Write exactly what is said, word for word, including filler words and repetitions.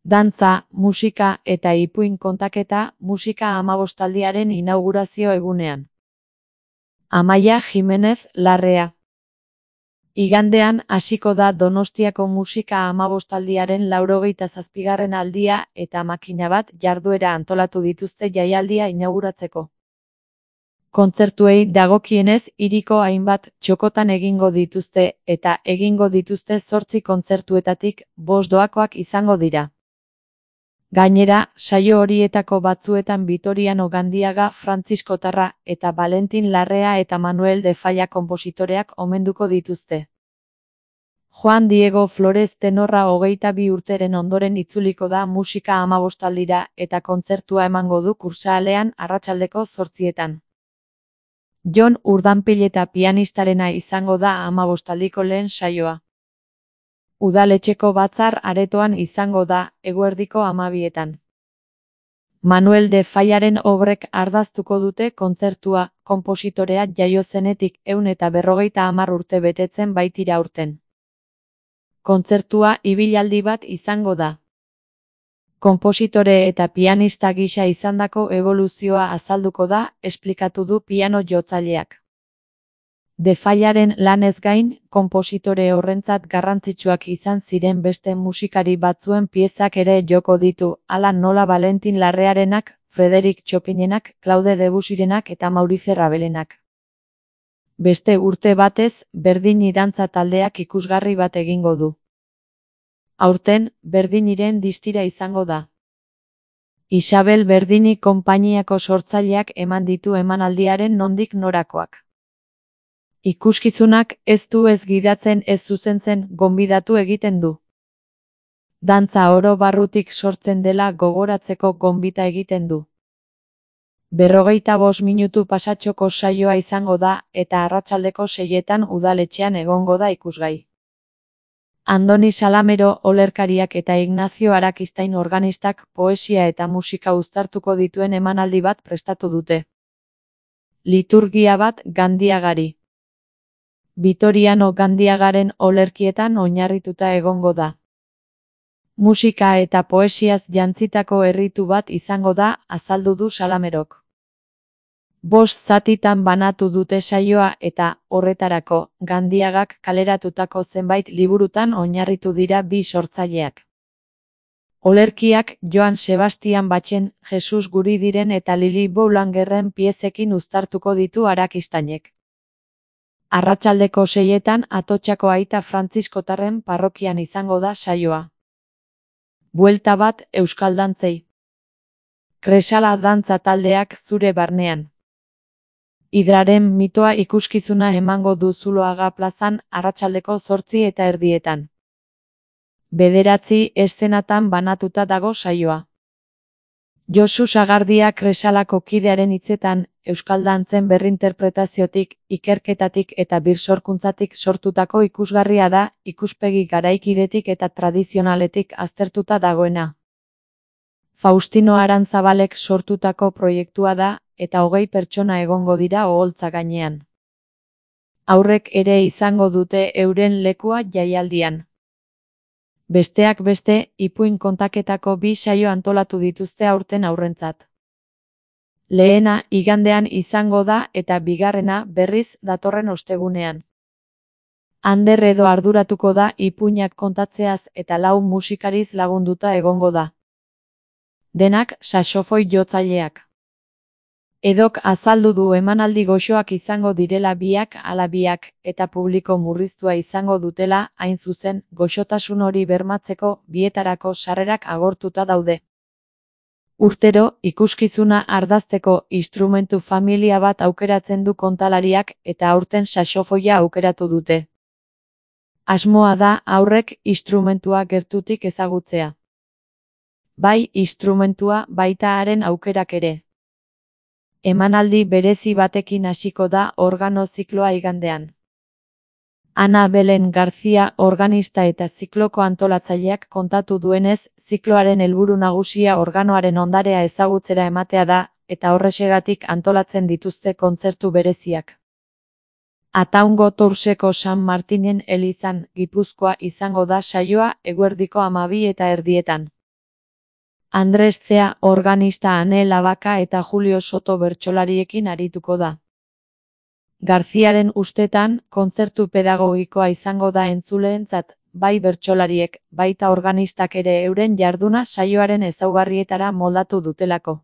Dantza, musika eta ipuin kontaketa musika hamabostaldiaren inaugurazio egunean. Amaia Jimenez Larrea. Igandean hasiko da Donostiako musika hamabostaldiaren laurogeita zazpigarren aldia eta makina bat jarduera antolatu dituzte jaialdia inauguratzeko. Kontzertuei dagokienez hiriko hainbat txokotan egingo dituzte eta egingo dituzte zortzi kontzertuetatik bost doakoak izango dira. Gainera, saio horietako batzuetan Vitoriano Gandiaga frantziskotarra eta Valentin Larrea eta Manuel de Falla konpositoreak omenduko dituzte. Juan Diego Flores tenorra hogeita bi urteren ondoren itzuliko da musika hamabostaldira eta kontzertua emango du Kursaalean arratsaldeko zortzietan. Jon Urdanpileta pianistarena izango da hamabostaldiko lehen saioa. Udaletxeko batzar aretoan izango da, eguerdiko hamabietan. Manuel de Fallaren obrek ardaztuko dute kontzertua, konpositorea jaio zenetik ehun eta berrogeita hamar urte betetzen baitira aurten. Kontzertua ibilaldi bat izango da. Konpositore eta pianista gisa izandako eboluzioa azalduko da, esplikatu du piano jotzaileak. De Fallaren lanez gain, konpositore horrentzat garrantzitsuak izan ziren beste musikari batzuen piezak ere joko ditu, hala nola Valentin Larrearenak, Frédéric Chopinenak, Claude Debussyrenak eta Maurice Rabelenak. Beste urte batez, Berdini dantza taldeak ikusgarri bat egingo du. Aurten, Berdiniren distira izango da. Isabel Berdini konpainiako sortzaileak eman ditu emanaldiaren nondik norakoak. Ikuskizunak ez du ez gidatzen ez zuzentzen gonbidatu egiten du. Dantza oro barrutik sortzen dela gogoratzeko gonbita egiten du. Berrogeita bost minutu pasatxoko saioa izango da eta arratsaldeko seietan udaletxean egongo da ikusgai. Andoni Salamero olerkariak eta Ignacio Arakistain organistak poesia eta musika uztartuko dituen emanaldi bat prestatu dute. Liturgia bat Gandiagari. Vitoriano Gandiagaren olerkietan oinarrituta egongo da. Musika eta poesiaz jantzitako erritu bat izango da, azaldu du Salamerok. Bost zatitan banatu dute saioa eta, horretarako, Gandiagak kaleratutako zenbait liburutan oinarritu dira bi sortzaileak. Olerkiak Joan Sebastian Bachen, Jesus Guridiren eta Lili Boulangerren piezekin uztartuko ditu Arakistainek. Arratsaldeko seietan Atotxako Aita Frantziskotarren parrokian izango da saioa. Buelta bat euskal dantzei. Kresala dantza taldeak zure barnean. Hidraren mitoa ikuskizuna emango du Zuloaga plazan arratsaldeko zortzi eta erdietan. Bederatzi eszenatan banatuta dago saioa. Josu Sagardia Kresalako kidearen hitzetan, euskal dantzen berrinterpretaziotik, ikerketatik eta birsorkuntzatik sortutako ikusgarria da, ikuspegi garaikidetik eta tradizionaletik aztertuta dagoena. Faustino Arantzabalek sortutako proiektua da, eta hogei pertsona egongo dira oholtza gainean. Haurrek ere izango dute euren lekua jaialdian. Besteak beste, ipuin kontaketako bi saio antolatu dituzte aurten haurrentzat. Lehena igandean izango da eta bigarrena berriz datorren ostegunean. Ander edo arduratuko da ipuinak kontatzeaz eta lau musikariz lagunduta egongo da. Denak saxofoi jotzaileak. Edok azaldu du emanaldi goxoak izango direla biak ala biak eta publiko murriztua izango dutela, hain zuzen, goxotasun hori bermatzeko bietarako sarrerak agortuta daude. Urtero, ikuskizuna ardazteko instrumentu familia bat aukeratzen du kontalariak eta aurten saxofoia aukeratu dute. Asmoa da haurrek instrumentua gertutik ezagutzea. Bai instrumentua baita haren aukerak ere. Emanaldi berezi batekin hasiko da organo zikloa igandean. Ana Belen Garzia organista eta zikloko antolatzaileak kontatu duenez, zikloaren helburu nagusia organoaren ondarea ezagutzera ematea da, eta horrexegatik antolatzen dituzte kontzertu bereziak. Ataungo Tourseko San Martinen elizan, Gipuzkoa izango da saioa eguerdiko hamabi eta erdietan. Andres Zea organista, Ane Labaka eta Julio Soto bertsolariekin arituko da. Garziaren ustetan, kontzertu pedagogikoa izango da entzuleentzat, bai bertsolariek, baita organistak ere euren jarduna saioaren ezaugarrietara moldatu dutelako.